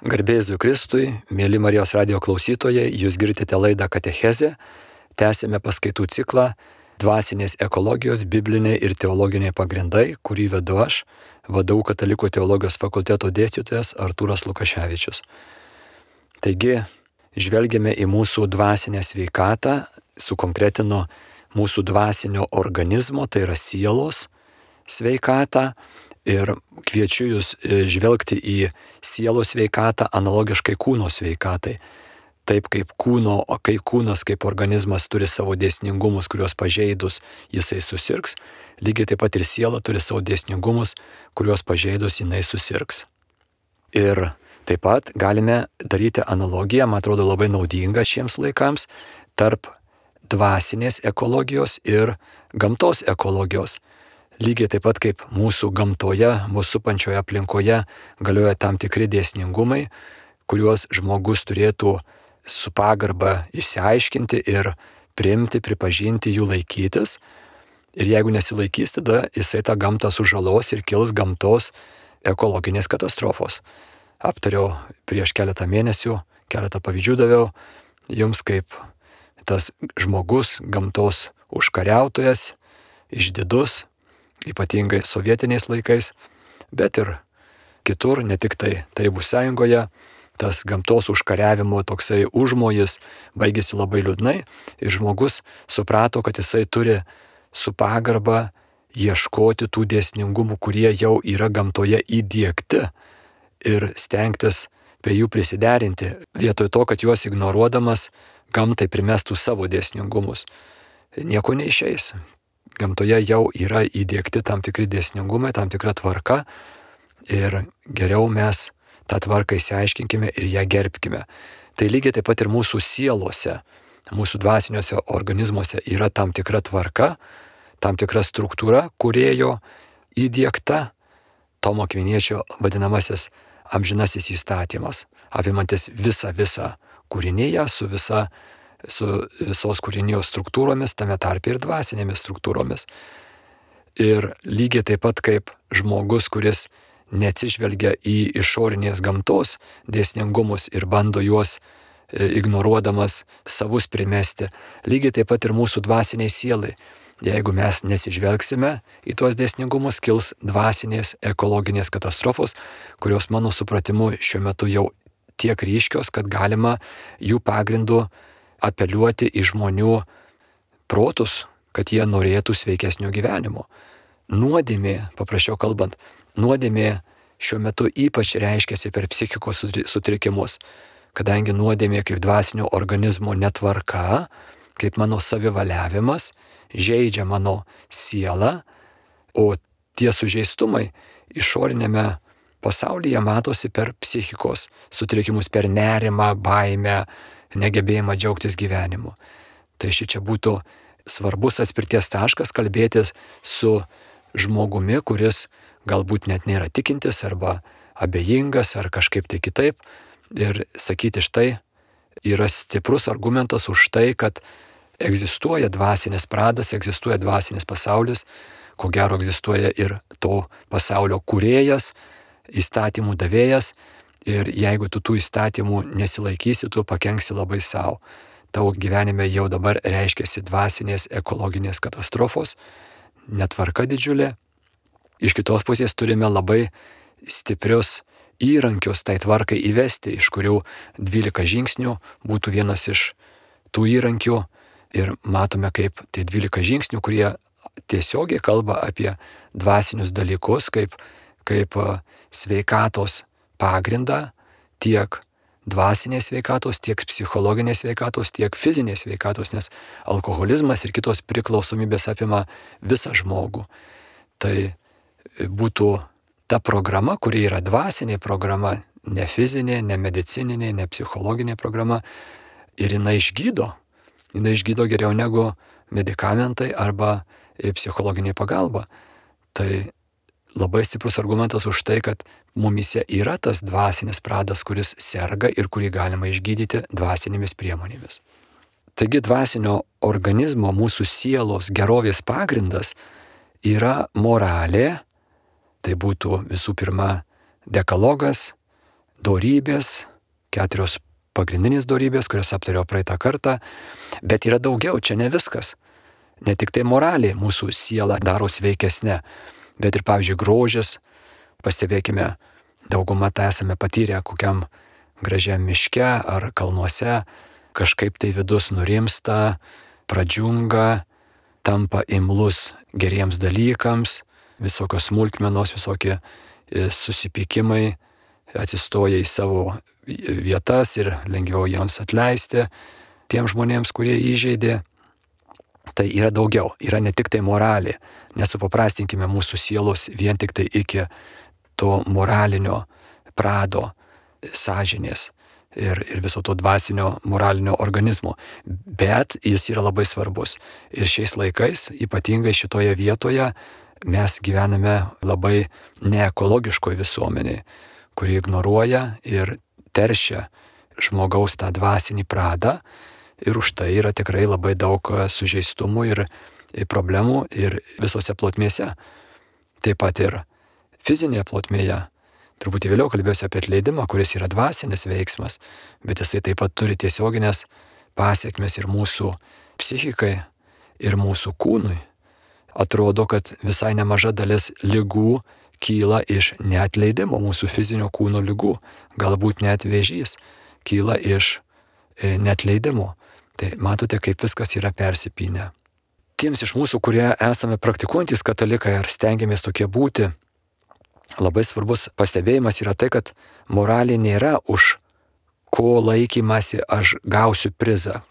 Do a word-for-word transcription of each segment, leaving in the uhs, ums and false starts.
Garbėzui Kristui, mėly Marijos radijo klausytojai, jūs girdite laidą Katechezė, tęsėme paskaitų ciklą Dvasinės ekologijos, bibliniai ir teologiniai pagrindai, kurį vedu aš, V D U Katalikų teologijos fakulteto dėstytojas Artūras Lukaševičius. Taigi, žvelgiame į mūsų dvasinę sveikatą, sukonkretino mūsų dvasinio organizmo, tai yra sielos sveikatą, ir kviečiu jūs žvelgti į sielos sveikatą analogiškai kūno sveikatai. Taip kaip kūno, o kai kūnas kaip organizmas turi savo dėsningumus, kuriuos pažeidus jisai susirgs, lygiai taip pat ir siela turi savo dėsningumus, kuriuos pažeidus jinai susirgs. Ir taip pat galime daryti analogiją, man atrodo labai naudinga šiems laikams, tarp dvasinės ekologijos ir gamtos ekologijos. Lygiai taip pat kaip mūsų gamtoje, mūsų supančioje aplinkoje galioja tam tikri dėsningumai, kuriuos žmogus turėtų su pagarba išsiaiškinti ir priimti, pripažinti, jų laikytis. Ir jeigu nesilaikys, tada jisai tą gamtą sužalos ir kils gamtos ekologinės katastrofos. Aptariau prieš keletą mėnesių, keletą pavyzdžių daviau jums, kaip tas žmogus, gamtos užkariautojas, išdidus, ypatingai sovietiniais laikais, bet ir kitur, ne tik tai Tarybų Sąjungoje, tas gamtos užkariavimo toksai užmojis baigėsi labai liūdnai ir žmogus suprato, kad jisai turi su pagarba ieškoti tų dėsningumų, kurie jau yra gamtoje įdiegti ir stengtis prie jų prisiderinti, vietoj to, kad juos ignoruodamas gamtai primestų savo dėsningumus. Nieko neišeis. Gamtoje jau yra įdiegti tam tikri dėsningumai, tam tikra tvarka ir geriau mes tą tvarką išsiaiškinkime ir ją gerbkime. Tai lygiai taip pat ir mūsų sielose, mūsų dvasiniuose organizmuose yra tam tikra tvarka, tam tikra struktūra, kūrėjo įdiegta, Tomo Akviniečio vadinamasis amžinasis įstatymas, apimantis visą visą kūriniją su visa su visos kūrinijos struktūromis, tame tarpe ir dvasinėmis struktūromis. Ir lygiai taip pat kaip žmogus, kuris neatsižvelgia į išorinės gamtos dėsningumus ir bando juos ignoruodamas savus primesti, lygiai taip pat ir mūsų dvasiniai sielai. Jeigu mes nesižvelgsime į tuos dėsningumus, kils dvasinės ekologinės katastrofos, kurios mano supratimu šiuo metu jau tiek ryškios, kad galima jų pagrindų apeliuoti į žmonių protus, kad jie norėtų sveikesnio gyvenimo. Nuodėmė, paprasčiau kalbant, nuodėmė šiuo metu ypač reiškiasi per psichikos sutrikimus, kadangi nuodėmė kaip dvasinio organizmo netvarka, kaip mano savivaliavimas, žeidžia mano sielą, o tie sužeistumai išorinėme pasaulyje matosi per psichikos sutrikimus, per nerimą, baimę, negebėjimą džiaugtis gyvenimu. Tai ši čia būtų svarbus atspirties taškas kalbėtis su žmogumi, kuris galbūt net nėra tikintis arba abejingas ar kažkaip tai kitaip. Ir sakyti štai yra stiprus argumentas už tai, kad egzistuoja dvasinis pradas, egzistuoja dvasinis pasaulis, ko gero egzistuoja ir to pasaulio kūrėjas, įstatymų davėjas. Ir jeigu tu tų įstatymų nesilaikysi, tu pakenksi labai savo. Tavo gyvenime jau dabar reiškiasi dvasinės ekologinės katastrofos, netvarka didžiulė. Iš kitos pusės turime labai stiprius įrankius tai tvarkai įvesti, iš kurių dvylika žingsnių būtų vienas iš tų įrankių. Ir matome, kaip tai dvylika žingsnių, kurie tiesiogiai kalba apie dvasinius dalykus, kaip, kaip sveikatos pagrindą tiek dvasinės sveikatos, tiek psichologinės sveikatos, tiek fizinės sveikatos, nes alkoholizmas ir kitos priklausomybės apima visą žmogų. Tai būtų ta programa, kuri yra dvasinė programa, ne fizinė, ne medicininė, ne psichologinė programa, ir jinai išgydo. Jinai išgydo geriau negu medikamentai arba psichologinė pagalba. Tai labai stiprus argumentas už tai, kad mumyse yra tas dvasinis pradas, kuris serga ir kurį galima išgydyti dvasinėmis priemonėmis. Taigi dvasinio organizmo, mūsų sielos gerovės pagrindas yra moralė, tai būtų visų pirma dekalogas, dorybės, keturios pagrindinės dorybės, kurias aptariau praeitą kartą, bet yra daugiau, čia ne viskas. Ne tik tai moraliai mūsų siela daro sveikesnė, bet ir, pavyzdžiui, grožis. Pastebėkime, daugumą tą esame patyrę kokiam gražiam miške ar kalnuose, kažkaip tai vidus nurimsta, pradžiunga, tampa imlus geriems dalykams, visokios smulkmenos, visokie susipykimai atsistoja į savo vietas ir lengviau jiems atleisti tiem žmonėms, kurie įžeidė. Tai yra daugiau, yra ne tik tai moralė, nesupaprastinkime mūsų sielos vien tik tai iki to moralinio prado, sąžinės ir, ir viso to dvasinio moralinio organizmo, bet jis yra labai svarbus. Ir šiais laikais, ypatingai šitoje vietoje, mes gyvename labai neekologiškoje visuomenėje, kuri ignoruoja ir teršia žmogaus tą dvasinį pradą, ir už tai yra tikrai labai daug sužeistumų ir problemų ir visose plotmėse. Taip pat ir fizinėje plotmėje. Truputį vėliau kalbėsiu apie atleidimą, kuris yra dvasinis veiksmas, bet jisai taip pat turi tiesioginės pasiekmes ir mūsų psichikai, ir mūsų kūnui. Atrodo, kad visai nemaža dalis ligų kyla iš neatleidimo, mūsų fizinio kūno ligų. Galbūt net vėžys kyla iš neatleidimo. Tai matote, kaip viskas yra persipynę. Tiems iš mūsų, kurie esame praktikuojantys katalikai ar stengiamės tokie būti, labai svarbus pastebėjimas yra tai, kad moralė nėra už ko laikymasi aš gausiu prizą,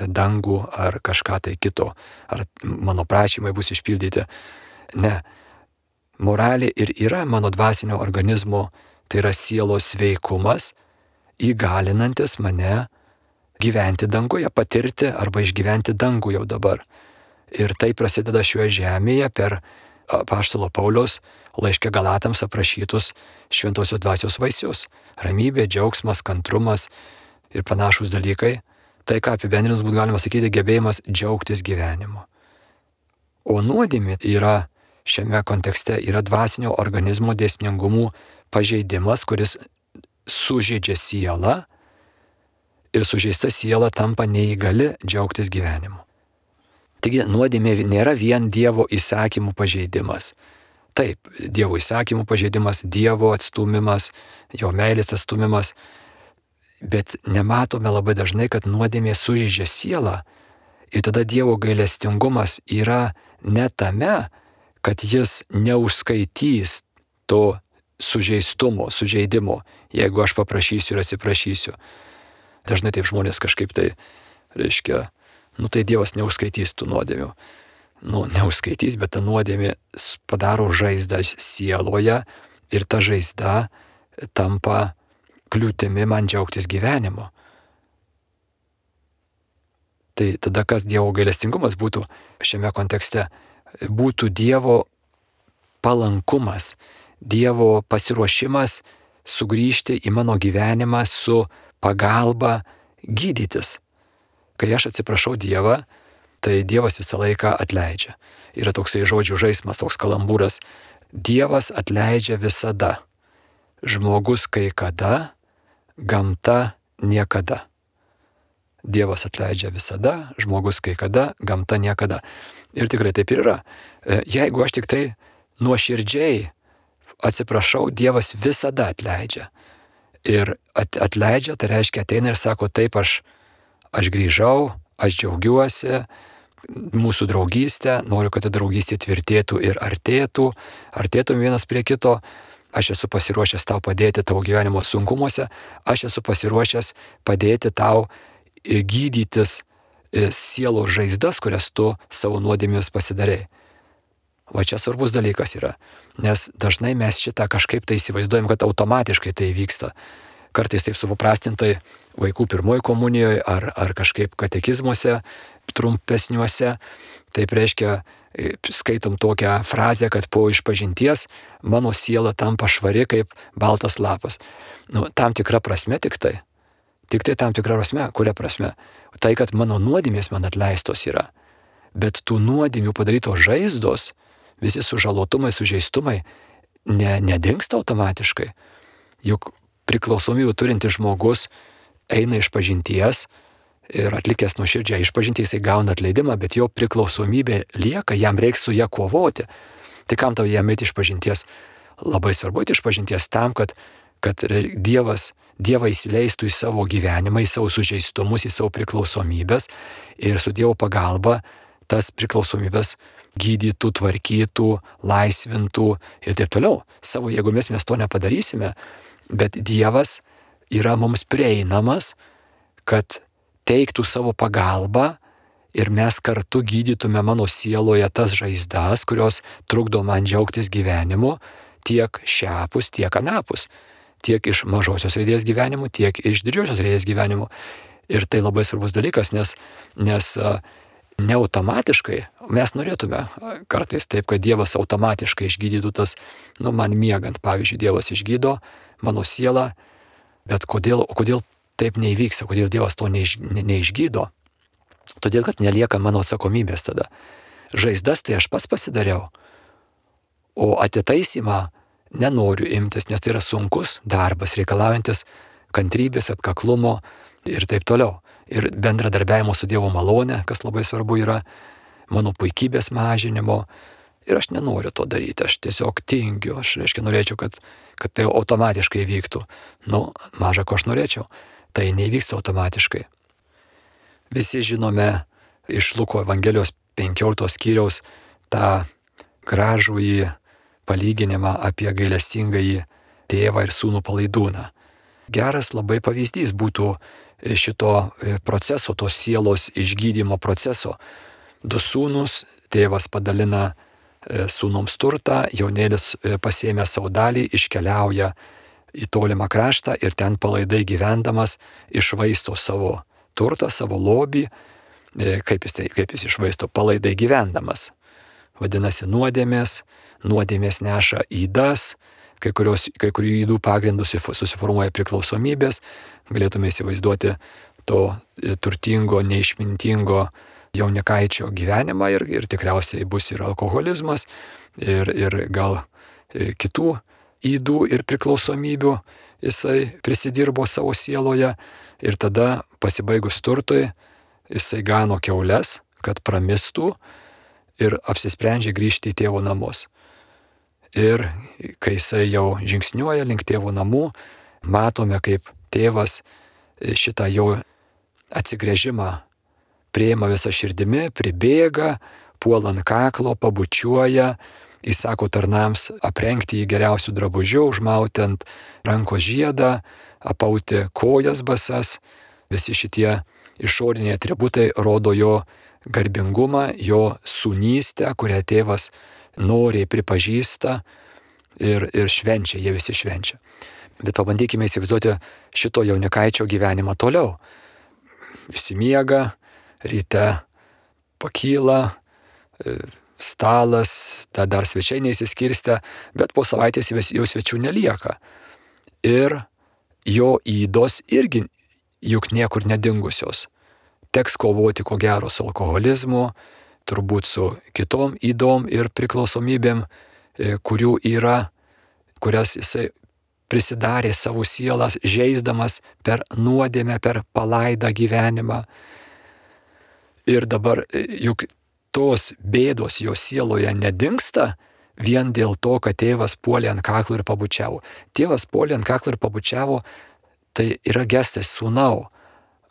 dangų ar kažką tai kito, ar mano prašymai bus išpildyti. Ne. Moralė ir yra mano dvasinio organizmo, tai yra sielos sveikumas, įgalinantis mane gyventi danguje, patirti arba išgyventi dangų jau dabar. Ir tai prasideda šioje žemėje per apaštalo Pauliaus laiške Galatams aprašytus šventosios dvasios vaisius. Ramybė, džiaugsmas, kantrumas ir panašūs dalykai. Tai, ką apibendrinus būtų galima sakyti, gebėjimas džiaugtis gyvenimu. O nuodėmė yra šiame kontekste yra dvasinio organizmo dėsningumų pažeidimas, kuris sužeidžia sielą ir sužeista siela tampa neįgali džiaugtis gyvenimu. Taigi nuodėmė nėra vien Dievo įsakymų pažeidimas. Taip, Dievo įsakymų pažeidimas, Dievo atstumimas, jo meilės atstumimas, bet nematome labai dažnai, kad nuodėmė sužeidžia sielą ir tada Dievo gailestingumas yra ne tame, kad jis neužskaitys to sužeistumo, sužeidimo, jeigu aš paprašysiu ir atsiprašysiu. Dažnai taip žmonės kažkaip tai, reiškia, nu tai Dievas neužskaitys tų nuodėmių. Nu, neužskaitys, bet ta nuodėmė padaro žaizdą sieloje ir ta žaizda tampa kliūtimi man džiaugtis gyvenimu. Tai tada kas Dievo gailestingumas būtų šiame kontekste? Būtų Dievo palankumas, Dievo pasiruošimas sugrįžti į mano gyvenimą su pagalba gydytis. Kai aš atsiprašau Dievą, tai Dievas visą laiką atleidžia. Yra toksai žodžių žaismas, toks kalambūras. Dievas atleidžia visada. Žmogus kai kada, gamta niekada. Dievas atleidžia visada, žmogus kai kada, gamta niekada. Ir tikrai taip ir yra. Jeigu aš tik tai nuoširdžiai atsiprašau, Dievas visada atleidžia. Ir atleidžia, tai reiškia ateina ir sako, taip aš, aš grįžau, aš džiaugiuosi mūsų draugystę, noriu, kad ta draugystė tvirtėtų ir artėtų, artėtum vienas prie kito, aš esu pasiruošęs tau padėti tavo gyvenimo sunkumuose, aš esu pasiruošęs padėti tau gydytis sielos žaizdas, kurias tu savo nuodėmėmis pasidarei. Va čia svarbus dalykas yra, nes dažnai mes šitą kažkaip tai įsivaizduojam, kad automatiškai tai vyksta. Kartais taip supaprastintai vaikų pirmoji komunijoje ar, ar kažkaip katekizmuose trumpesniuose. Taip reiškia, skaitom tokią frazę, kad po išpažinties mano siela tampa švari kaip baltas lapas. Nu, tam tikra prasme tik tai. Tik tai tam tikra prasme, kuria prasme. Tai, kad mano nuodėmės man atleistos yra. Bet tų nuodėmių padarytos žaizdos, visi sužalotumai, sužeistumai, ne, nedingsta automatiškai. Juk priklausomybių turintis žmogus eina iš pažinties ir atlikęs nuoširdžią išpažintį, jisai gauna atleidimą, bet jo priklausomybė lieka, jam reiks su ją kovoti. Tai kam tau jam eiti iš pažinties? Labai svarbu eiti iš pažinties tam, kad, kad Dievas, Dievą įsileistų į savo gyvenimą, į savo sužeistumus, į savo priklausomybės ir su Dievo pagalba tas priklausomybės gydytų, tvarkytų, laisvintų ir taip toliau. Savo jėgomis mes to nepadarysime, bet Dievas yra mums prieinamas, kad teiktų savo pagalbą ir mes kartu gydytume mano sieloje tas žaizdas, kurios trukdo man džiaugtis gyvenimu, tiek šiapus, tiek anapus, tiek iš mažosios raidės gyvenimų, tiek iš didžiosios raidės gyvenimų. Ir tai labai svarbus dalykas, nes, nes ne automatiškai, mes norėtume kartais taip, kad Dievas automatiškai išgydytų tas, nu man miegant, pavyzdžiui, Dievas išgydo mano sielą, bet kodėl, kodėl taip neįvyksta, kodėl Dievas to neiš, ne, neišgydo? Todėl, kad nelieka mano atsakomybės tada. Žaizdas tai aš pats pasidariau, o atitaisymą nenoriu imtis, nes tai yra sunkus darbas, reikalaujantis kantrybės, atkaklumo ir taip toliau. Ir bendradarbiavimo su Dievo malone, kas labai svarbu yra, mano puikybės mažinimo. Ir aš nenoriu to daryti, aš tiesiog tingiu, aš reiškia norėčiau, kad, kad tai automatiškai vyktų. Nu, maža ko aš norėčiau, tai nevyksta automatiškai. Visi žinome iš Luko Evangelijos penkioliktos skyriaus tą gražųjį palyginimą apie gailestingąjį tėvą ir sūnų palaidūną. Geras labai pavyzdys būtų šito proceso, tos sielos išgydymo proceso. Du sūnus, tėvas padalina sūnums turtą, jaunėlis pasiėmė savo dalį, iškeliauja į tolimą kraštą ir ten palaidai gyvendamas išvaisto savo turtą, savo lobį. Kaip jis, tai, kaip jis išvaisto? Palaidai gyvendamas. Vadinasi, nuodėmės, nuodėmės neša ydas, kai, kurios, kai kurių ydų pagrindų susiformuoja priklausomybės, galėtume įsivaizduoti to turtingo, neišmintingo jaunikaičio gyvenimą ir, ir tikriausiai bus ir alkoholizmas, ir, ir gal kitų ydų ir priklausomybių jisai prisidirbo savo sieloje ir tada pasibaigus turtui jisai gano kiaules, kad pramistų ir apsisprendžia grįžti į tėvo namus. Ir kai jisai jau žingsniuoja link tėvo namų, matome, kaip tėvas šitą jo atsigręžimą priima visą širdimi, pribėga, puola ant kaklo, pabučiuoja, įsako tarnams aprengti jį geriausių drabužių, užmauti ant rankos žiedą, apauti kojas basas. Visi šitie išoriniai atributai rodo jo garbingumą, jo sūnystę, kurią tėvas noriai pripažįsta ir, ir švenčia, jie visi švenčia. Bet pabandykime įsivaizduoti šito jaunikaičio gyvenimą toliau. Išsimiega, ryte pakyla, stalas, ta dar svečiai neįsiskirstę, bet po savaitės jau svečių nelieka. Ir jo ydos irgi juk niekur nedingusios. Teks kovoti ko gero su alkoholizmu, turbūt su kitom ydom ir priklausomybėm, kurių yra, kurias jisai prisidarė savo sielas, žeisdamas per nuodėmę, per palaidą gyvenimą. Ir dabar juk tos bėdos jo sieloje nedingsta vien dėl to, kad tėvas puolė ant kaklo ir pabučiavo. Tėvas puolė ant kaklo ir pabučiavo, tai yra gestas: sūnau,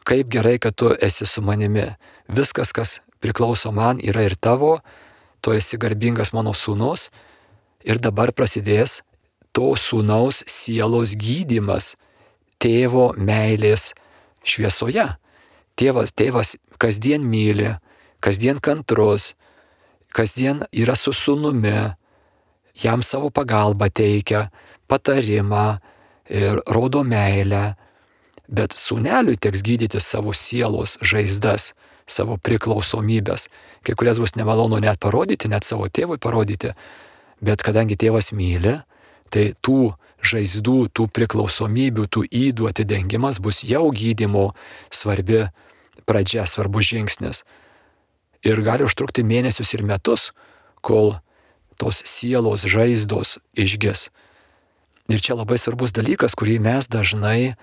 kaip gerai, kad tu esi su manimi. Viskas, kas priklauso man, yra ir tavo, tu esi garbingas mano sūnus. Ir dabar prasidės to sūnaus sielos gydymas tėvo meilės šviesoje. Tėvas, tėvas kasdien myli, kasdien kantrus, kasdien yra su sūnumi, jam savo pagalbą teikia, patarimą ir rodo meilę. Bet sūneliui teks gydyti savo sielos žaizdas, savo priklausomybės, kai kurias bus nemalonu net parodyti, net savo tėvui parodyti. Bet kadangi tėvas myli, tai tų žaizdų, tų priklausomybių, tų ydų atidengimas bus jau gydymo svarbi pradžia, svarbus žingsnis. Ir gali užtrukti mėnesius ir metus, kol tos sielos žaizdos išgis. Ir čia labai svarbus dalykas, kurį mes dažnai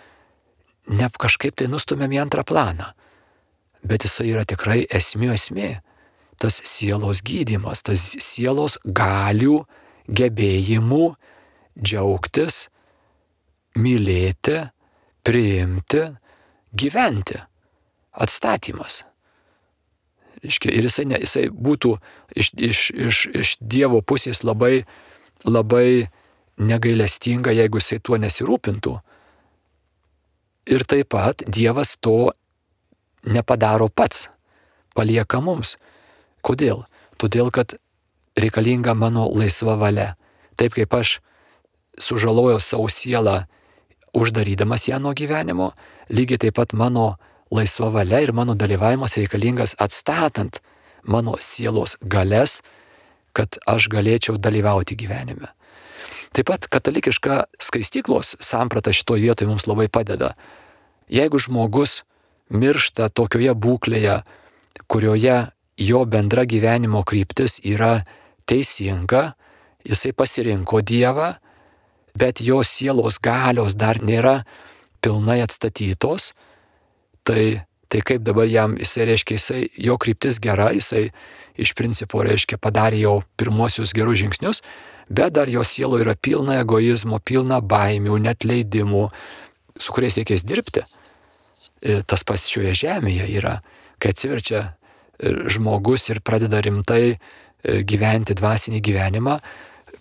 ne kažkaip tai nustumėm į antrą planą. Bet jisai yra tikrai esmė esmė. Tas sielos gydymas, tas sielos galių, gebėjimų džiaugtis, mylėti, priimti, gyventi. Atstatymas. Reiškia, ir jisai, ne, jisai būtų iš, iš, iš, iš Dievo pusės labai, labai negailestinga, jeigu jisai tuo nesirūpintų. Ir taip pat Dievas to nepadaro pats, palieka mums. Kodėl? Todėl, kad reikalinga mano laisva valia. Taip kaip aš sužalojau savo sielą, uždarydamas ją nuo gyvenimo, lygiai taip pat mano laisva valia ir mano dalyvavimas reikalingas atstatant mano sielos galias, kad aš galėčiau dalyvauti gyvenime. Taip pat katalikiška skaistyklos samprata šitoje vietoje mums labai padeda. Jeigu žmogus miršta tokioje būklėje, kurioje jo bendra gyvenimo kryptis yra teisinga, jisai pasirinko Dievą, bet jo sielos galios dar nėra pilnai atstatytos, tai, tai kaip dabar jam, jisai reiškia, jisai, jo kryptis gera, jisai iš principo reiškia padarė jau pirmosius gerus žingsnius, bet dar jo sielo yra pilna egoizmo, pilna baimių, netleidimų, su kuriais reikės dirbti. Tas pats šioje žemėje yra, kai atsiverčia žmogus ir pradeda rimtai gyventi dvasinį gyvenimą,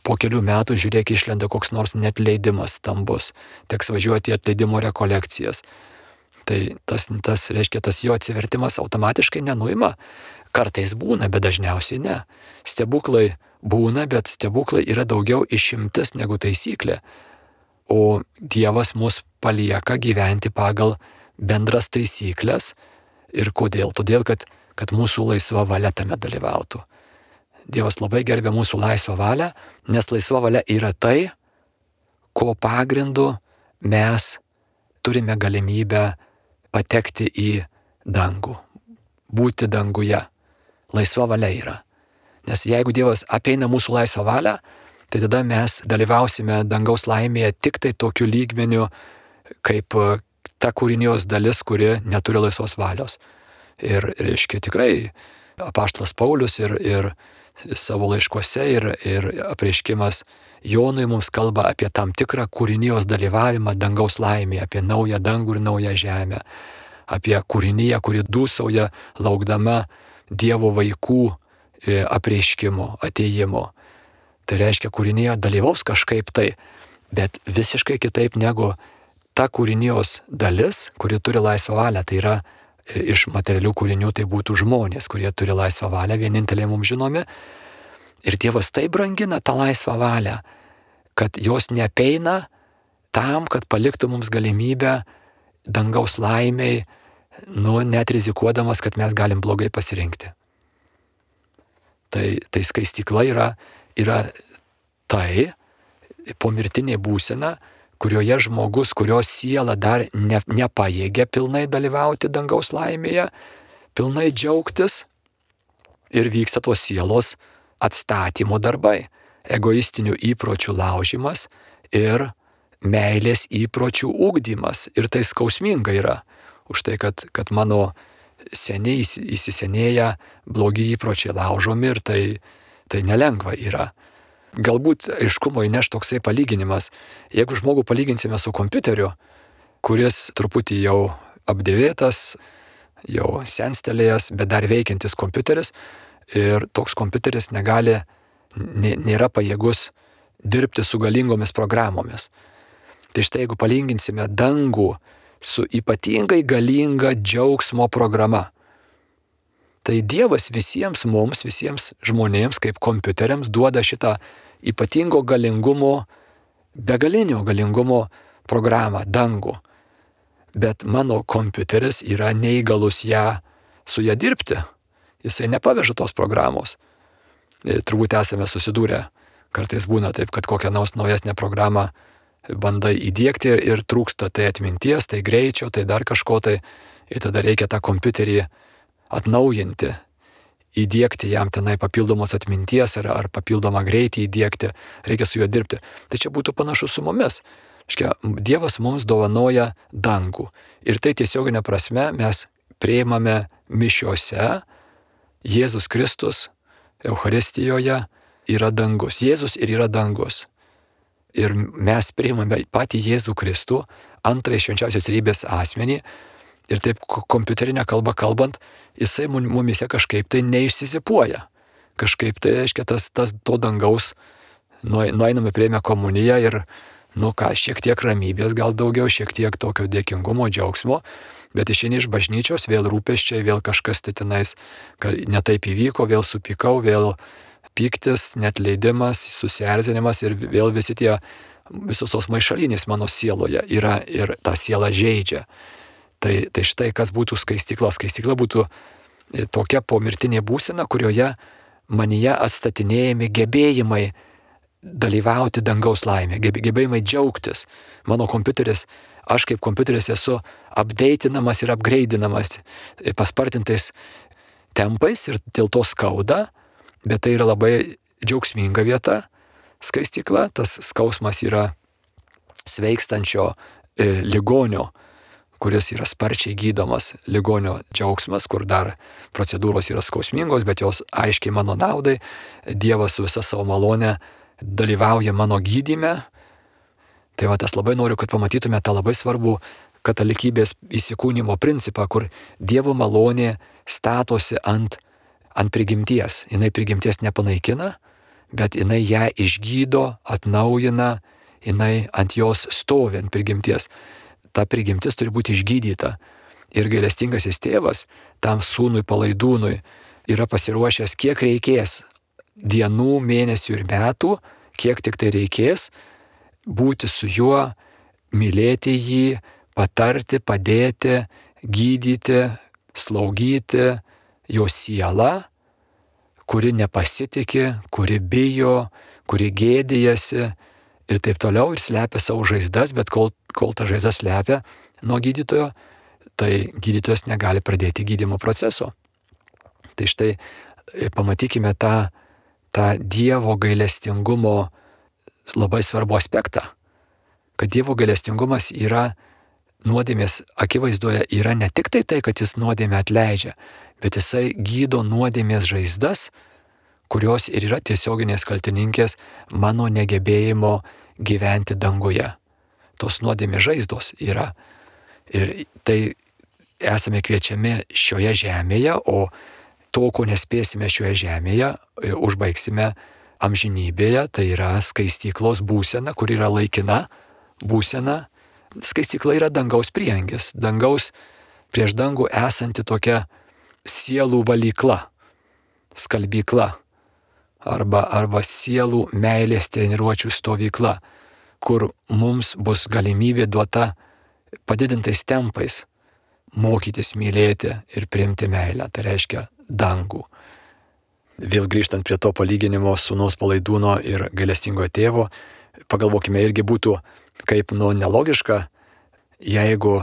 po kelių metų, žiūrėk, išlenda koks nors netleidimas stambus, teks važiuoti į atleidimo rekolekcijas. Tai tas, tas reiškia, tas jo atsivertimas automatiškai nenuima. Kartais būna, bet dažniausiai ne. Stebuklai būna, bet stebuklai yra daugiau išimtis negu taisyklė. O Dievas mus palieka gyventi pagal bendras taisyklės. Ir kodėl? Todėl, kad, kad mūsų laisva valia tame dalyvautų. Dievas labai gerbia mūsų laisvą valią, nes laisva valia yra tai, ko pagrindu mes turime galimybę patekti į dangų, būti danguje. Laisva valia yra. Nes jeigu Dievas apeina mūsų laisvą valią, tai tada mes dalyvausime dangaus laimėje tik tai tokiu lygmeniu, kaip ta kūrinijos dalis, kuri neturi laisvos valios. Ir, reiškia, tikrai apaštalas Paulius ir, ir savo laiškuose ir, ir apreiškimas Jonui mums kalba apie tam tikrą kūrinijos dalyvavimą dangaus laimėje, apie naują dangų ir naują žemę, apie kūriniją, kuri dūsauja laukdama Dievo vaikų apreiškimo, atėjimo. Tai reiškia, kūrinija dalyvaus kažkaip tai, bet visiškai kitaip negu ta kūrinijos dalis, kuri turi laisvą valią. Tai yra iš materialių kūrinių, tai būtų žmonės, kurie turi laisvą valią, vieninteliai mums žinomi. Ir Dievas taip brangina tą laisvą valią, kad jos neapeina tam, kad paliktų mums galimybę dangaus laimiai, nu, net rizikuodamas, kad mes galim blogai pasirinkti. Tai, tai skaistykla yra, yra tai pomirtinė būsena, kurioje žmogus, kurio siela dar ne, nepajėgia pilnai dalyvauti dangaus laimėje, pilnai džiaugtis, ir vyksta tos sielos atstatymo darbai, egoistinių įpročių laužimas ir meilės įpročių ugdymas. Ir tai skausminga yra, už tai, kad, kad mano seniai įsisenėję blogi įpročiai laužomi, ir tai, tai nelengva yra. Galbūt aiškumo įneš toksai palyginimas. Jeigu žmogų palyginsime su kompiuteriu, kuris truputį jau apdėvėtas, jau senstelėjęs, bet dar veikiantis kompiuteris, ir toks kompiuteris negali, nėra pajėgus dirbti su galingomis programomis. Tai štai jeigu palyginsime dangų su ypatingai galinga džiaugsmo programa, tai Dievas visiems mums, visiems žmonėms kaip kompiuteriams duoda šitą ypatingo galingumo, begalinio galingumo programą, dangų. Bet mano kompiuteris yra neįgalus ją, su ją dirbti. Jisai nepaveža tos programos. Ir turbūt esame susidūrę. Kartais būna taip, kad kokią nors naujesnę programą bandai įdiegti ir, ir trūksta tai atminties, tai greičio, tai dar kažko tai. Ir tada reikia tą kompiuterį atnaujinti, įdėkti jam tenai papildomos atminties ar, ar papildomą greitį įdėkti, reikia su juo dirbti. Tai čia būtų panašu su mumis. Škia, Dievas mums dovanoja dangų. Ir tai tiesioginė prasme mes priimame mišiose, Jėzus Kristus Eucharistijoje yra dangus. Jėzus ir yra dangus. Ir mes priimame patį Jėzų Kristų, antrąjį švenčiausios trejybės asmenį, ir taip kompiuterinę kalbą kalbant, jisai mumise kažkaip tai neišsizipuoja. Kažkaip tai, reiškia, tas, tas to dangaus, nueiname prieimę komuniją ir, nu ką, šiek tiek ramybės, gal daugiau, šiek tiek tokio dėkingumo, džiaugsmo, bet išeini iš bažnyčios, vėl rūpesčiai, vėl kažkas tai tenais netaip įvyko, vėl supykau, vėl pyktis, netleidimas, susierzinimas ir vėl visi tie, visos tos maišalinės mano sieloje yra ir tą sielą žeidžia. Tai, tai štai kas būtų skaistykla. Skaistykla būtų tokia pomirtinė būsena, kurioje manyje atstatinėjami gebėjimai dalyvauti dangaus laimė, gebėjimai džiaugtis. Mano kompiuteris, aš kaip kompiuteris esu updatinamas ir upgradeinamas paspartintais tempais ir dėl to skauda, bet tai yra labai džiaugsminga vieta, skaistykla. Tas skausmas yra sveikstančio e, ligonio, kuris yra sparčiai gydomas, ligonio džiaugsmas, kur dar procedūros yra skausmingos, bet jos aiškiai mano naudai. Dievas su visa savo malone dalyvauja mano gydyme. Tai va, tas labai noriu, kad pamatytume tą labai svarbų katalikybės įsikūnymo principą, kur Dievo malonė statosi ant, ant prigimties. Jinai prigimties nepanaikina, bet jinai ją išgydo, atnaujina, jinai ant jos stovi, ant prigimties. Ta prigimtis turi būti išgydyta. Ir gailestingasis tėvas tam sūnui palaidūnui yra pasiruošęs, kiek reikės dienų, mėnesių ir metų, kiek tik tai reikės, būti su juo, mylėti jį, patarti, padėti, gydyti, slaugyti jo sielą, kuri nepasitiki, kuri bijo, kuri gėdijasi ir taip toliau ir slepia savo žaizdas, bet kol, kol ta žaizda slepia nuo gydytojo, tai gydytojas negali pradėti gydymo proceso. Tai štai pamatykime tą, tą Dievo gailestingumo labai svarbų aspektą, kad Dievo gailestingumas yra nuodėmės akivaizdoje, yra ne tik tai tai, kad jis nuodėmę atleidžia, bet jisai gydo nuodėmės žaizdas, kurios ir yra tiesioginės kaltininkės mano negebėjimo gyventi danguje. Tos nuodėmės žaizdos yra. Ir tai esame kviečiami šioje žemėje, o to, ko nespėsime šioje žemėje, užbaigsime amžinybėje, tai yra skaistyklos būsena, kur yra laikina būsena. Skaistykla yra dangaus prieangis, dangaus prieš dangų esanti tokia sielų valykla, skalbykla. Arba, arba sielų meilės treniruočių stovykla, kur mums bus galimybė duota padidintais tempais mokytis mylėti ir priimti meilę, tai reiškia dangų. Vėl grįžtant prie to palyginimo sūnaus palaidūno ir gailestingojo tėvo, pagalvokime, irgi būtų kaip nu nelogiška, jeigu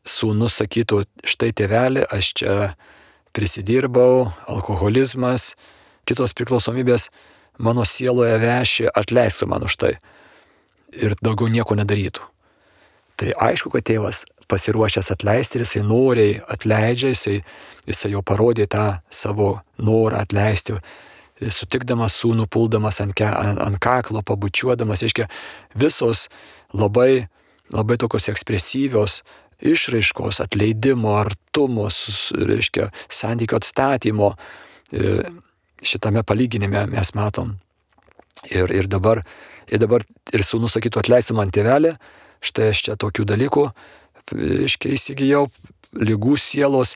sūnus sakytų, štai tėveli, aš čia prisidirbau, alkoholizmas, kitos priklausomybės mano sieloje veši, atleisk man už tai. Ir daugiau nieko nedarytų. Tai aišku, kad tėvas pasiruošęs atleisti ir jisai noriai atleidžia, jisai, jisai jau parodė tą savo norą atleisti, sutikdamas sūnų, puldamas ant, ke, ant, ant kaklo, pabučiuodamas, reiškia, visos labai, labai tokios ekspresyvios išraiškos, atleidimo, artumo, reiškia, santykio atstatymo, šitame palyginime mes matom. Ir, ir, dabar, ir dabar ir sūnus sakytų, atleisi man tėvelį, štai aš čia tokių dalykų, reiškia, įsigijau, ligų sielos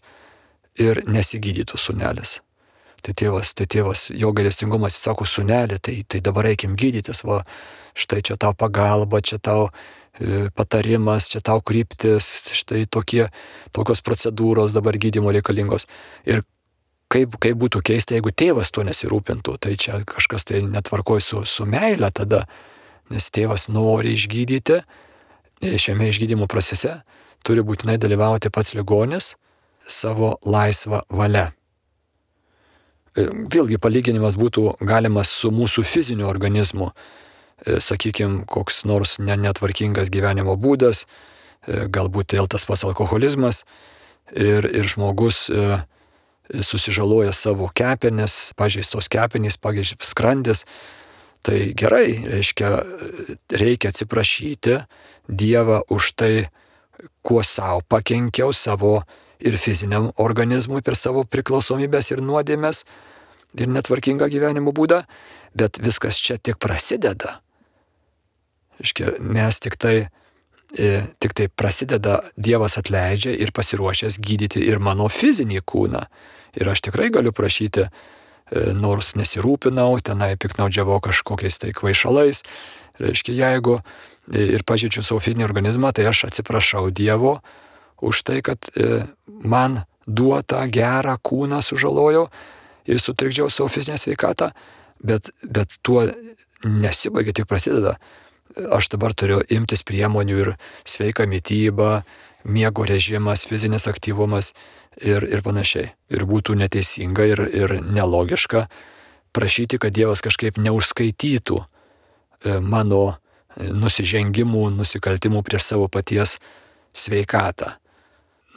ir nesigydytų sūnelis. Tai tėvas, tai tėvas, jo gailestingumas, jis sako, sūnelį, tai, tai dabar reikim gydytis, va, štai čia tau pagalba, čia tau e, patarimas, čia tau kryptis, štai tokie, tokios procedūros dabar gydymo reikalingos. Ir Kaip, kaip būtų keista, jeigu tėvas tuo nesirūpintų, tai čia kažkas tai netvarkoj su, su meile tada, nes tėvas nori išgydyti, šiame išgydymo procese turi būtinai dalyvauti pats ligonis savo laisvą valią. Vėlgi palyginimas būtų galimas su mūsų fiziniu organizmu. Sakykime, koks nors netvarkingas gyvenimo būdas, galbūt vėl tas pats alkoholizmas ir, ir žmogus susižaloja savo kepenis, pažeistos kepenys, pažeistos skrandis. Tai gerai, reiškia, reikia atsiprašyti Dievą už tai, kuo savo pakenkiau savo ir fiziniam organizmui per savo priklausomybės ir nuodėmės ir netvarkingą gyvenimo būdą, bet viskas čia tik prasideda. Reiškia, mes tik tai, tik tai prasideda, Dievas atleidžia ir pasiruošęs gydyti ir mano fizinį kūną. Ir aš tikrai galiu prašyti, nors nesirūpinau, tenai piknaudžiavau kažkokiais tai kvaišalais. Reiškia, jeigu ir pažeidžiu savo fizinį organizmą, tai aš atsiprašau Dievo už tai, kad man duotą gerą kūną sužalojau ir sutrikdžiau savo fizinę sveikatą, bet, bet tuo nesibaigia, tik prasideda. Aš dabar turiu imtis priemonių ir sveika mityba, miego režimas, fizinis aktyvumas ir, ir panašiai. Ir būtų neteisinga ir, ir nelogiška prašyti, kad Dievas kažkaip neužskaitytų mano nusižengimų, nusikaltimų prieš savo paties sveikatą.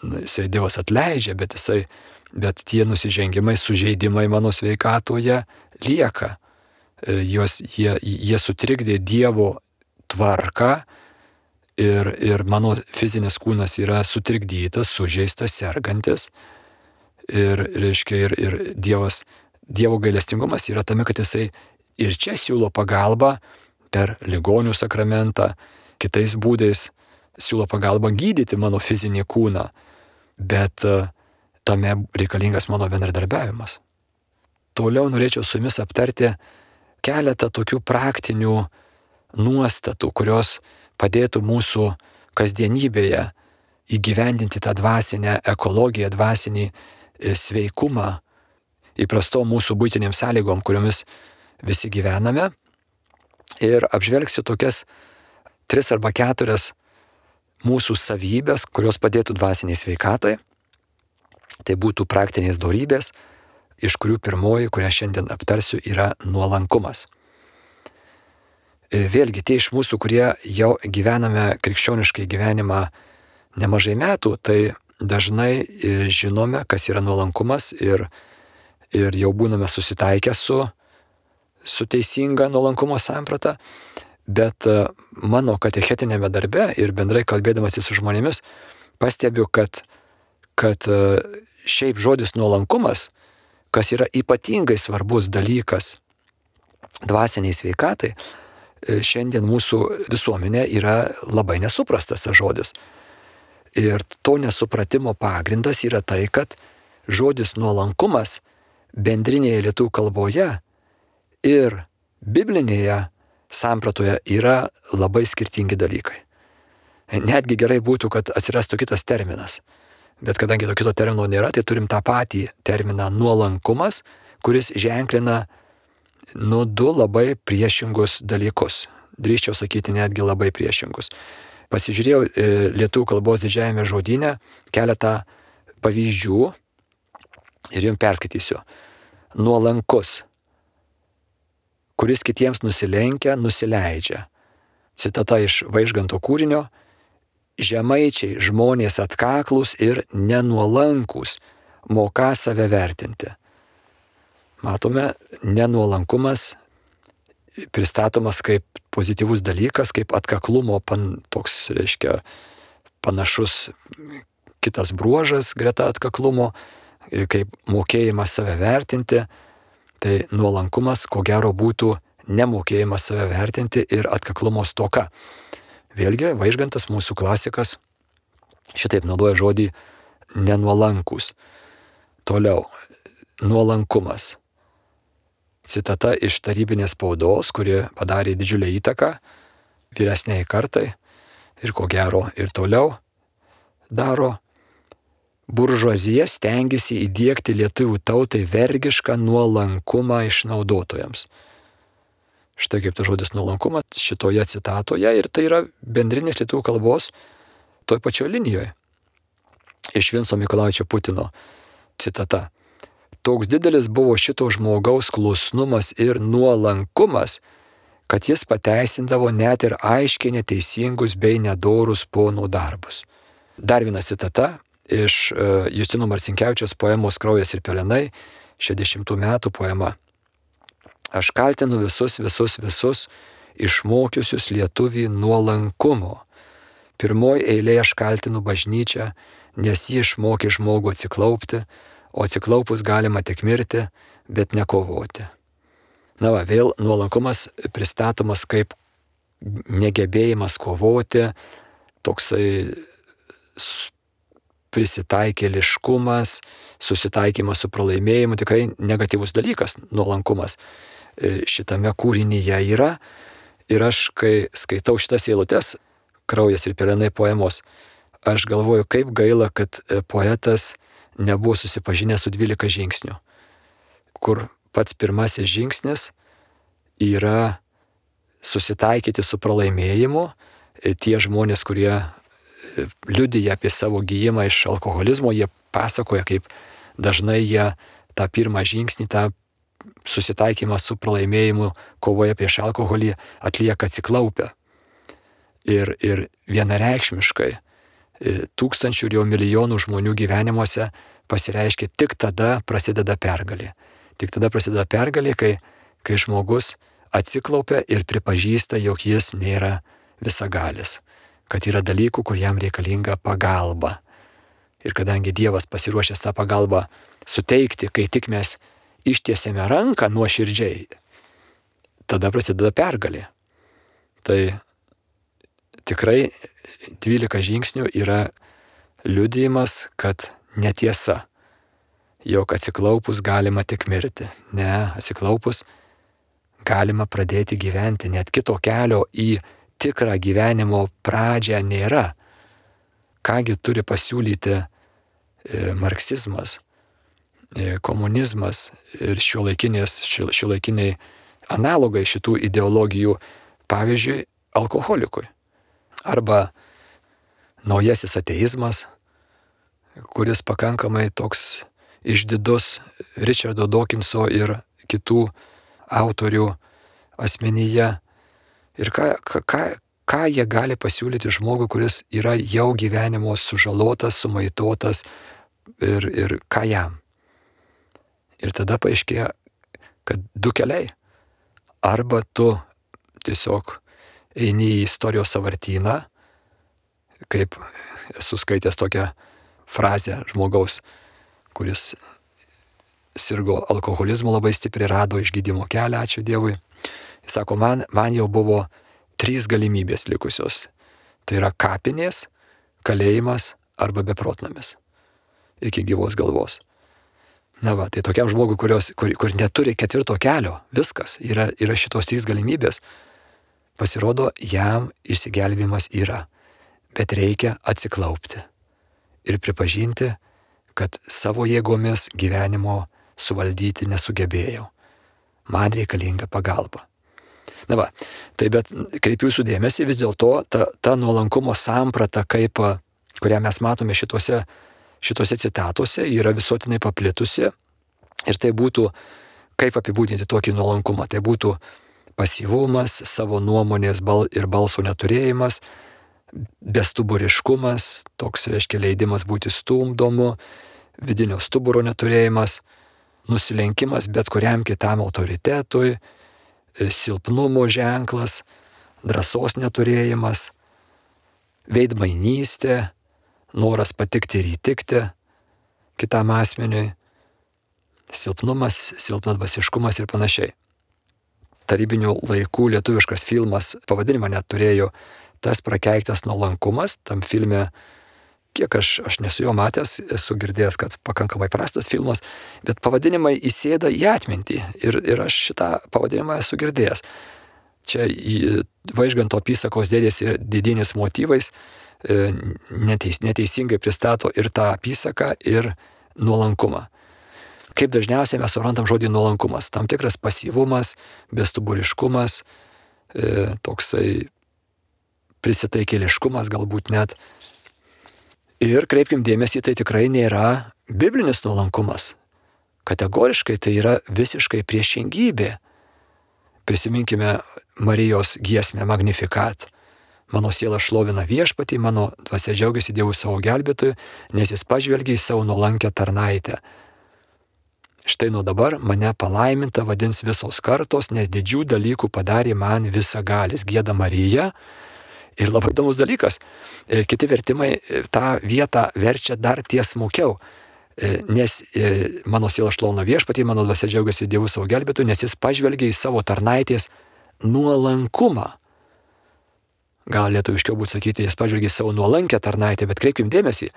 Jisai Dievas atleidžia, bet, jisai, bet tie nusižengimai, sužeidimai mano sveikatoje lieka. Jos, jie, jie sutrikdė Dievo tvarką ir, ir mano fizinis kūnas yra sutrikdytas, sužeistas, sergantis. Ir, reiškia, ir, ir Dievas, Dievo gailestingumas yra tame, kad jisai ir čia siūlo pagalbą per ligonių sakramentą, kitais būdais siūlo pagalbą gydyti mano fizinį kūną, bet tame reikalingas mano bendradarbiavimas. Toliau norėčiau su jumis aptarti keletą tokių praktinių nuostatų, kurios padėtų mūsų kasdienybėje įgyvendinti tą dvasinę ekologiją, dvasinį sveikumą įprastom mūsų būtinėm sąlygom, kuriomis visi gyvename. Ir apžvelgsiu tokias tris arba keturias mūsų savybės, kurios padėtų dvasiniai sveikatai. Tai būtų praktinės dorybės, iš kurių pirmoji, kurią šiandien aptarsiu, yra nuolankumas. Vėlgi, tie iš mūsų, kurie jau gyvename krikščioniškai gyvenimą nemažai metų, tai dažnai žinome, kas yra nuolankumas ir, ir jau būname susitaikę su, su teisinga nuolankumo samprata, bet mano katechetinėme darbe ir bendrai kalbėdamas su žmonėmis pastebiu, kad, kad šiaip žodis nuolankumas, kas yra ypatingai svarbus dalykas dvasiniai sveikatai, šiandien mūsų visuomenė yra labai nesuprastas tas žodis. Ir to nesupratimo pagrindas yra tai, kad žodis nuolankumas bendrinėje lietuvių kalboje ir biblinėje sampratoje yra labai skirtingi dalykai. Netgi gerai būtų, kad atsirastų kitas terminas. Bet kadangi to kito termino nėra, tai turim tą patį terminą nuolankumas, kuris ženklina nu du labai priešingus dalykus. Drįsčiau sakyti netgi labai priešingus. Pasižiūrėjau e, lietuvių kalbos didžiajame žodyne keletą pavyzdžių ir jums perskaitysiu. Nuolankus, kuris kitiems nusilenkia, nusileidžia. Citata iš Vaižganto kūrinio. Žemaičiai žmonės atkaklūs ir nenuolankus, moka save vertinti. Matome, nenuolankumas pristatomas kaip pozityvus dalykas, kaip atkaklumo pan, toks, reiškia, panašus kitas bruožas greta atkaklumo, kaip mokėjimas save vertinti. Tai nuolankumas, ko gero, būtų nemokėjimas save vertinti ir atkaklumo stoka. Vėlgi, Vaižgantas, mūsų klasikas, šitaip naudoja žodį nenuolankus. Toliau, nuolankumas. Citata iš tarybinės spaudos, kuri padarė didžiulę įtaką vyresniai kartai ir ko gero ir toliau daro. Buržuazija stengiasi įdiegti lietuvių tautai vergišką nuolankumą išnaudotojams. Štai kaip tas žodis nuolankumas šitoje citatoje ir tai yra bendrinės lietuvių kalbos toj pačioj linijoje. Iš Vinco Mykolaičio Putino citata. toks didelis buvo šito žmogaus klusnumas ir nuolankumas, kad jis pateisindavo net ir aiškiai neteisingus bei nedorus pono darbus. Dar viena citata iš uh, Justino Marcinkevičiaus poemos Kraujas ir pelenai, šešiasdešimtų metų poema. Aš kaltinu visus, visus, visus, išmokiusius lietuvį nuolankumo. Pirmoji eilė aš kaltinu bažnyčią, nes ji išmokė žmogų atsiklaupti, o atsiklaupus galima tik mirti, bet nekovoti. Na va, vėl nuolankumas pristatomas kaip negebėjimas kovoti, toksai prisitaikėliškumas, susitaikymas su pralaimėjimu, tikrai negatyvus dalykas, nuolankumas šitame kūrinyje yra. Ir aš, kai skaitau šitas eilutes, Kraujas ir pelenai poemos, aš galvoju, kaip gaila, kad poetas nebuvo susipažinęs su dvylika žingsnių, kur pats pirmasis žingsnis yra susitaikyti su pralaimėjimu. Tie žmonės, kurie liudija apie savo gijimą iš alkoholizmo, jie pasakoja, kaip dažnai jie tą pirmą žingsnį, tą susitaikymą su pralaimėjimu kovoje prieš alkoholį atlieka atsiklaupę. Ir, ir vienareikšmiškai tūkstančių ir jau milijonų žmonių gyvenimuose pasireiškia tik tada prasideda pergalė. Tik tada prasideda pergalė, kai, kai žmogus atsiklaupia ir pripažįsta, jog jis nėra visagalis, kad yra dalykų, kur jam reikalinga pagalba. Ir kadangi Dievas pasiruošęs tą pagalbą suteikti, kai tik mes ištiesėme ranką nuoširdžiai, tada prasideda pergalė. Tai tikrai dvylika žingsnių yra liudijimas, kad netiesa, jog atsiklaupus galima tik mirti. Ne, atsiklaupus galima pradėti gyventi, net kito kelio į tikrą gyvenimo pradžią nėra. Kągi turi pasiūlyti marksizmas, komunizmas ir šiuolaikiniai analogai šitų ideologijų, pavyzdžiui, alkoholikui. Arba naujasis ateizmas, kuris pakankamai toks išdidus Richardo Dawkinso ir kitų autorių asmenyje. Ir ką, ką, ką jie gali pasiūlyti žmogui, kuris yra jau gyvenimo sužalotas, sumaitotas ir, ir ką jam. Ir tada paaiškėja, kad du keliai. Arba tu tiesiog eini į istorijos sąvartyną, kaip esu skaitęs tokią frazę žmogaus, kuris sirgo alkoholizmu, labai stipriai rado išgydymo kelią, ačiū Dievui. Jis sako, man, man jau buvo trys galimybės likusios. Tai yra kapinės, kalėjimas arba beprotnamis. Iki gyvos galvos. Na va, tai tokiam žmogui, kurios, kur, kur neturi ketvirto kelio, viskas, yra, yra šitos trys galimybės. Pasirodo, jam išsigelbėjimas yra, bet reikia atsiklaupti ir pripažinti, kad savo jėgomis gyvenimo suvaldyti nesugebėjau. Man reikalinga pagalba. Na va, tai bet kreipiu jūsų dėmesį, vis dėlto ta, ta nuolankumo samprata, kaip, kurią mes matome šitose, šitose citatuose, yra visuotinai paplitusi. Ir tai būtų, kaip apibūdinti tokį nuolankumą, tai būtų pasyvumas, savo nuomonės bal ir balso neturėjimas, bestuburiškumas, toks reiškia leidimas būti stumdomu, vidinio stuburo neturėjimas, nusilenkimas bet kuriam kitam autoritetui, silpnumo ženklas, drąsos neturėjimas, veidmainystė, noras patikti ir įtikti kitam asmeniui, silpnumas, silpnadvasiškumas ir panašiai. Tarybinių laikų lietuviškas filmas, pavadinimą net turėjo, Tas prakeiktas nuolankumas. Tam filme, kiek aš, aš nesu jo matęs, esu girdėjęs, kad pakankamai prastas filmas, bet pavadinimai įsėda į atmintį ir, ir aš šitą pavadinimą esu girdėjęs. Čia Vaižganto apysakos dėdės ir didinis motyvais neteis, neteisingai pristato ir tą apysaką, ir nuolankumą. Kaip dažniausiai mes suprantam žodį nuolankumas? Tam tikras pasyvumas, bestuburiškumas, e, toksai prisitaikėliškumas galbūt net. Ir kreipkim dėmesį, tai tikrai nėra biblinis nuolankumas. Kategoriškai tai yra visiškai priešingybė. Prisiminkime Marijos giesmę Magnificat. Mano siela šlovina viešpatį, mano dvasia džiaugiasi Dievu savo gelbėtoju, nes jis pažvelgia į savo nuolankę tarnaitę. Štai nuo dabar mane palaiminta vadins visos kartos, nes didžių dalykų padarė man visagalis, gieda Marija. Ir labai įdomus dalykas, kiti vertimai tą vietą verčia dar tiesmukiau, nes mano siela šlovina viešpatį, mano dvasia džiaugiasi Dievu savo gelbėtoju, nes jis pažvelgia į savo tarnaitės nuolankumą. Gal lietuviškiau būtų sakyti, jis pažvelgia į savo nuolankę tarnaitę, bet kreipkim dėmesį,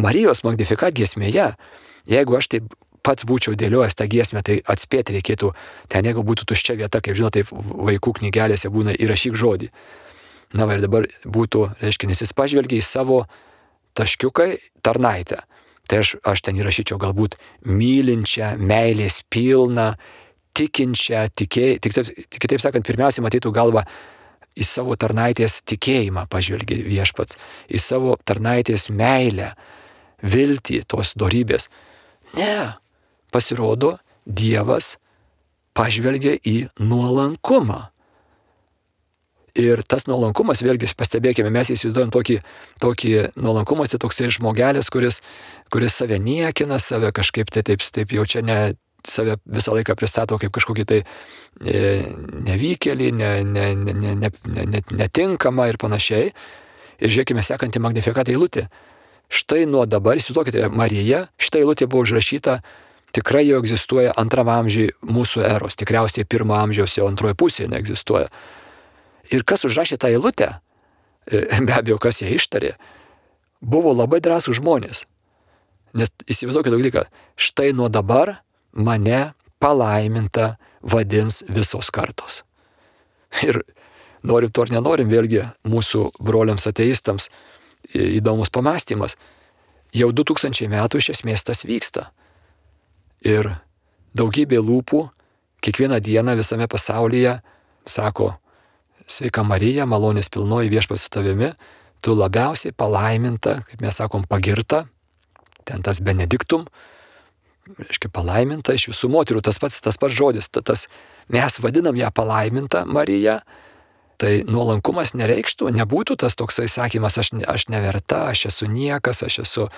Marijos Magnificat giesmėje, jeigu aš taip pats būčiau dėliojęs tą giesmę, tai atspėti reikėtų, ten jeigu būtų tuščia vieta, kaip žinot, taip vaikų knygelėse būna įrašyk žodį. Na va ir dabar būtų, reiškia, nes jis pažvelgia į savo taškiukai tarnaitę. Tai aš, aš ten įrašyčiau galbūt mylinčią, meilės pilną, tikinčią, tikėj, tik, tik, kitaip sakant, pirmiausiai matytų galvą į savo tarnaitės tikėjimą pažvelgia viešpats, į savo tarnaitės meilę, viltį, tos dorybės. Ne, pasirodo, Dievas pažvelgia į nuolankumą. Ir tas nuolankumas, vėlgi pastebėkime, mes įsivaizduojam tokį, tokį nuolankumą, tai toksai žmogelis, kuris, kuris save niekina, save kažkaip tai taip, taip jau čia ne, save visą laiką pristato kaip kažkokį tai e, nevykėlį, ne, ne, ne, ne, ne, ne, netinkamą ir panašiai. Ir žiūrėkime sekantį Magnificat eilutę. Štai nuo dabar, įsivaizduokite, Marija, šita eilutė buvo užrašyta, tikrai jau egzistuoja antram amžiui mūsų eros, tikriausiai pirmo amžiaus jau antroje pusėje neegzistuoja. Ir kas užrašė tą eilutę, be abejo, kas ją ištarė, buvo labai drąsūs žmonės. Nes įsivaizduokite dalyką, štai nuo dabar mane palaiminta vadins visos kartos. Ir norim to ar nenorim, vėlgi mūsų broliams ateistams įdomus pamastymas. Jau du tūkstančiai metų iš esmės tas vyksta. Ir daugybė lūpų kiekvieną dieną visame pasaulyje sako, sveika Marija, malonės pilnoji viešpats su tavimi, tu labiausiai palaiminta, kaip mes sakom, pagirta, ten tas benediktum, reiškia palaiminta iš visų moterų, tas pats, tas pats žodis, tas, mes vadinam ją palaiminta Marija, tai nuolankumas nereikštų, nebūtų tas toksai sakymas, aš, aš neverta, aš esu niekas, aš esu,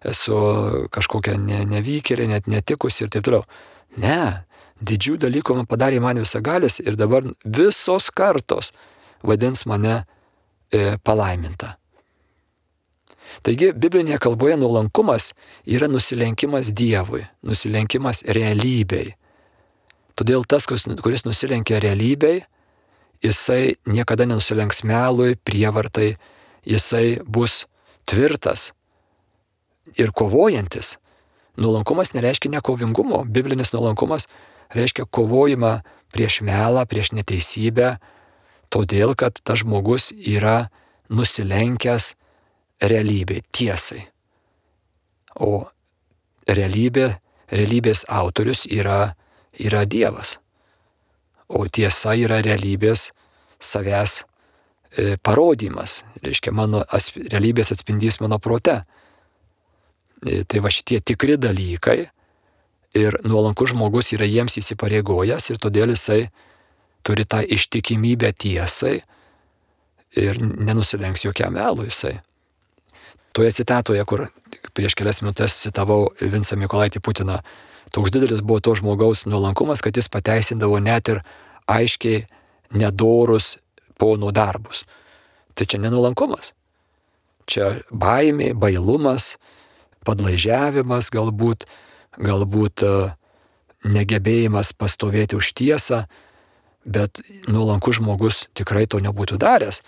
esu kažkokia ne, nevykėlė, net netikusi ir taip toliau. Ne, didžių dalykų man padarė man visagalis ir dabar visos kartos vadins mane e, palaiminta. Taigi, biblinėje kalboje nuolankumas yra nusilenkimas Dievui, nusilenkimas realybei. Todėl tas, kuris nusilenkia realybei, jisai niekada nenusilenks melui, prievartai, jisai bus tvirtas ir kovojantis. Nuolankumas nereiškia nekovingumo. Biblinis nuolankumas reiškia kovojimą prieš melą, prieš neteisybę, todėl, kad tas žmogus yra nusilenkęs realybei, tiesai. O realybė, realybės autorius yra, yra Dievas. O tiesa yra realybės savęs e, parodymas. Reiškia, mano asp, realybės atspindys mano prote. E, tai va šitie tikri dalykai ir nuolankus žmogus yra jiems įsipareigojęs ir todėl jisai turi tą ištikimybę tiesai ir nenusilenks jokiam melui jisai. Toje citatoje, kur prieš kelias minutės citavau Vincą Mykolaitį Putiną, toks didelis buvo to žmogaus nuolankumas, kad jis pateisindavo net ir aiškiai nedorus pono darbus. Tai čia nenuolankumas. Čia baimė, bailumas, padlaižiavimas galbūt, galbūt negebėjimas pastovėti už tiesą, bet nuolankus žmogus tikrai to nebūtų daręs.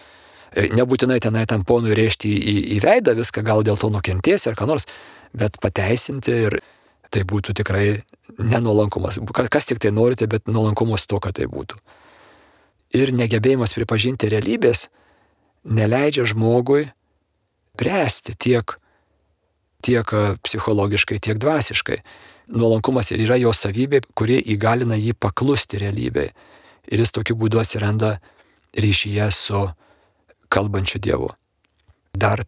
Nebūtinai tenai tam ponui rėžti į, į veidą viską, gal dėl to nukentės ar ką nors, bet pateisinti ir tai būtų tikrai nenuolankumas. Kas tik tai norite, bet nuolankumo stoka tai būtų. Ir negebėjimas pripažinti realybės neleidžia žmogui bręsti tiek, tiek psichologiškai, tiek dvasiškai. Nuolankumas ir yra jo savybė, kuri įgalina jį paklusti realybei. Ir jis tokiu būdu atsiranda ryšyje su kalbančiu Dievu. Dar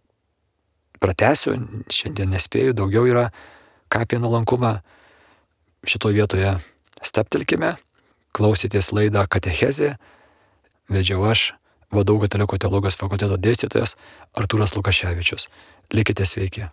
pratęsiu, šiandien nespėju, daugiau yra ką apie nuolankumą šitoje vietoje steptelkime, klausėtės laidą Katechezė, vedžiau aš, V D U Katalikų teologijos fakulteto dėstytojas Artūras Lukaševičius. Likite sveiki.